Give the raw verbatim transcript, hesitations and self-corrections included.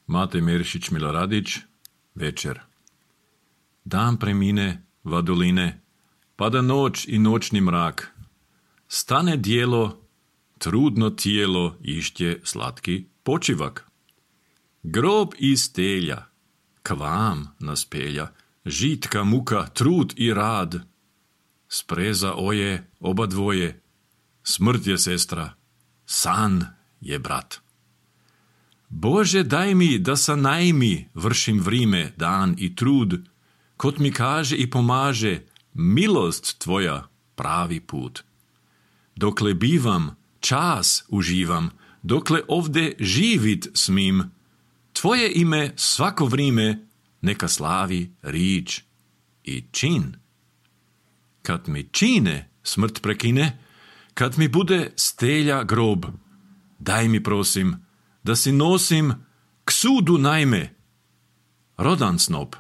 Mate Merišić Miloradić, večer. Dan premine, vadoline, pada noć i noćni mrak. Stane dijelo, trudno tijelo ištje slatki počivak. Grob iz telja, k vam nas pelja, žitka muka, trud i rad. Spreza oje, oba dvoje, smrt je sestra, san je brat. Bože, daj mi, da sa najmi vršim vrime, dan i trud, kot mi kaže i pomaže, milost tvoja pravi put. Dokle bivam, čas uživam, dokle ovde živit smim, tvoje ime svako vrime neka slavi rič i čin. Kad mi čine smrt prekine, kad mi bude stelja grob, daj mi prosim, da si nosim k sudu najme rodan snop.